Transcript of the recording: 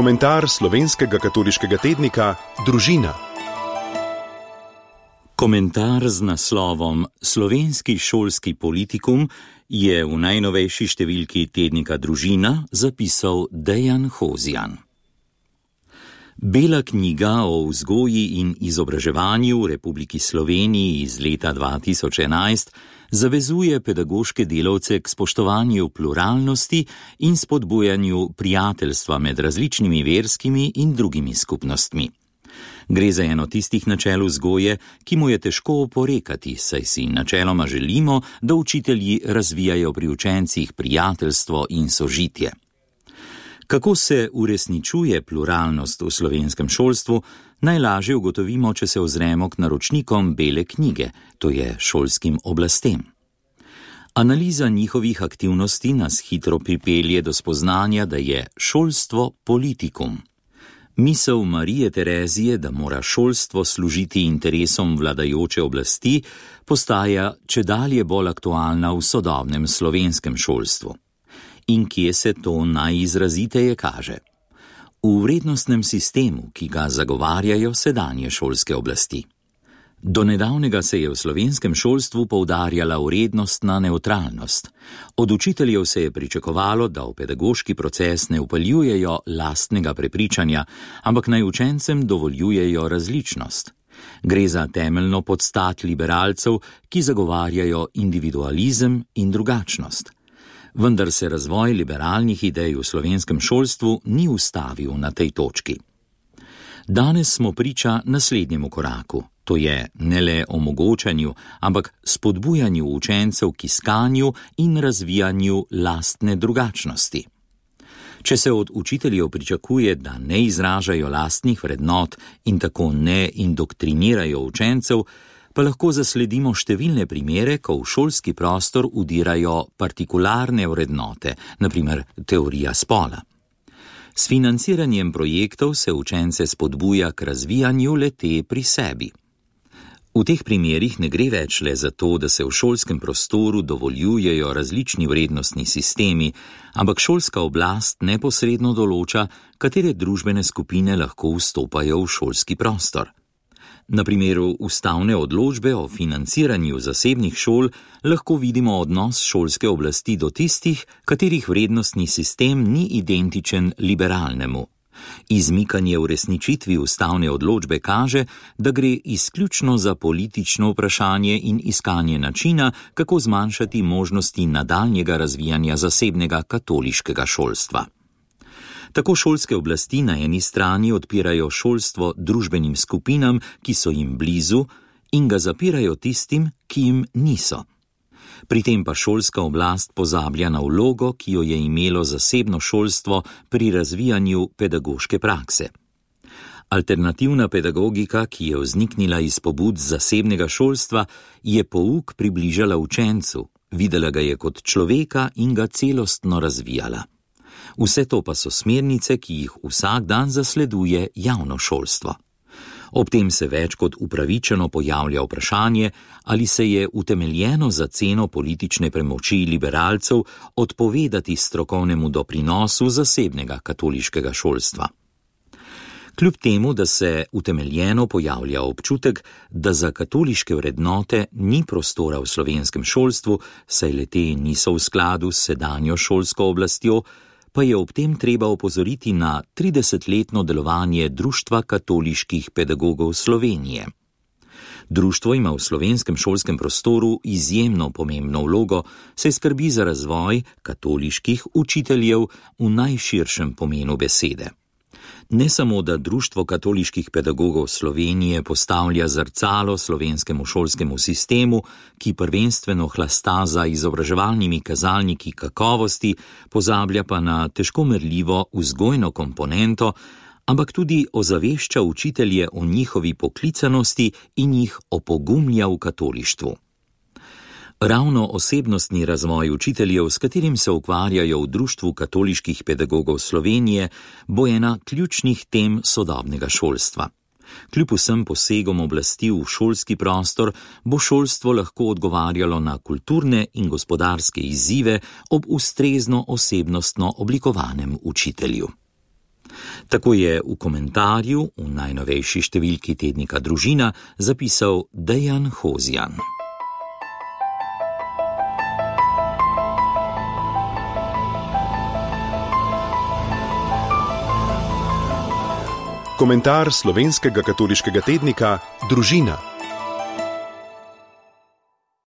Komentar slovenskega katoliškega tednika Družina. Komentar z naslovom Slovenski šolski politikum je v najnovejši številki tednika Družina zapisal Dejan Hozjan. Bela knjiga o vzgoji in izobraževanju v Republiki Sloveniji iz leta 2011 zavezuje pedagoške delavce k spoštovanju pluralnosti in spodbujanju prijateljstva med različnimi verskimi in drugimi skupnostmi. Gre za eno tistih načel vzgoje, ki mu je težko oporekati, saj si načeloma želimo, da učitelji razvijajo pri učencih prijateljstvo in sožitje. Kako se uresničuje pluralnost v slovenskem šolstvu, najlažje ugotovimo, če se ozremo k naročnikom Bele knjige, to je šolskim oblastem. Analiza njihovih aktivnosti nas hitro pripelje do spoznanja, da je šolstvo politikum. Misel Marije Terezije, da mora šolstvo služiti interesom vladajoče oblasti, postaja čedalje bolj aktualna v sodobnem slovenskem šolstvu. In kje se to najizraziteje kaže? V vrednostnem sistemu, ki ga zagovarjajo sedanje šolske oblasti. Do nedavnega se je v slovenskem šolstvu poudarjala vrednostna nevtralnost. Od učiteljev se je pričakovalo, da v pedagoški proces ne vpeljujejo lastnega prepričanja, ampak naj učencem dovoljujejo različnost. Gre za temeljno podstat liberalcev, ki zagovarjajo individualizem in drugačnost. Vendar se razvoj liberalnih idej v slovenskem šolstvu ni ustavil na tej točki. Danes smo priča naslednjemu koraku, to je ne le omogočanju, ampak spodbujanju učencev k iskanju in razvijanju lastne drugačnosti. Če se od učiteljev pričakuje, da ne izražajo lastnih vrednot in tako ne indoktrinirajo učencev, pa lahko zasledimo številne primere, ko v šolski prostor vdirajo partikularne vrednote, na primer teorija spola. S financiranjem projektov se učence spodbuja k razvijanju le-te pri sebi. V teh primerih ne gre več le za to, da se v šolskem prostoru dovoljujejo različni vrednostni sistemi, ampak šolska oblast neposredno določa, katere družbene skupine lahko vstopajo v šolski prostor. Na primeru ustavne odločbe o financiranju zasebnih šol lahko vidimo odnos šolske oblasti do tistih, katerih vrednostni sistem ni identičen liberalnemu. Izmikanje uresničitvi ustavne odločbe kaže, da gre izključno za politično vprašanje in iskanje načina, kako zmanjšati možnosti nadaljnjega razvijanja zasebnega katoliškega šolstva. Tako šolske oblasti na eni strani odpirajo šolstvo družbenim skupinam, ki so jim blizu, in ga zapirajo tistim, ki jim niso. Pri tem pa šolska oblast pozablja na vlogo, ki jo je imelo zasebno šolstvo pri razvijanju pedagoške prakse. Alternativna pedagogika, ki je vzniknila iz pobud zasebnega šolstva, je pouk približala učencu, videla ga je kot človeka in ga celostno razvijala. Vse to pa so smernice, ki jih vsak dan zasleduje javno šolstvo. Ob tem se več kot upravičeno pojavlja vprašanje, ali se je utemeljeno za ceno politične premoči liberalcev odpovedati strokovnemu doprinosu zasebnega katoliškega šolstva. Kljub temu, da se utemeljeno pojavlja občutek, da za katoliške vrednote ni prostora v slovenskem šolstvu, saj le-te niso v skladu s sedanjo šolsko oblastjo, pa je ob tem treba opozoriti na 30-letno delovanje Društva katoliških pedagogov Slovenije. Društvo ima v slovenskem šolskem prostoru izjemno pomembno vlogo, saj skrbi za razvoj katoliških učiteljev v najširšem pomenu besede. Ne samo, da Društvo katoliških pedagogov Slovenije postavlja zrcalo slovenskemu šolskemu sistemu, ki prvenstveno hlasta za izobraževalnimi kazalniki kakovosti, pozablja pa na težko merljivo vzgojno komponento, ampak tudi ozavešča učitelje o njihovi poklicanosti in jih opogumlja v katolištvu. Ravno osebnostni razvoj učiteljev, s katerim se ukvarjajo v Društvu katoliških pedagogov Slovenije, bo ena ključnih tem sodobnega šolstva. Kljub vsem posegom oblasti v šolski prostor bo šolstvo lahko odgovarjalo na kulturne in gospodarske izzive ob ustrezno osebnostno oblikovanem učitelju. Tako je v komentarju v najnovejši številki tednika Družina zapisal Dejan Hozijan. Komentar slovenskega katoliškega tednika Družina.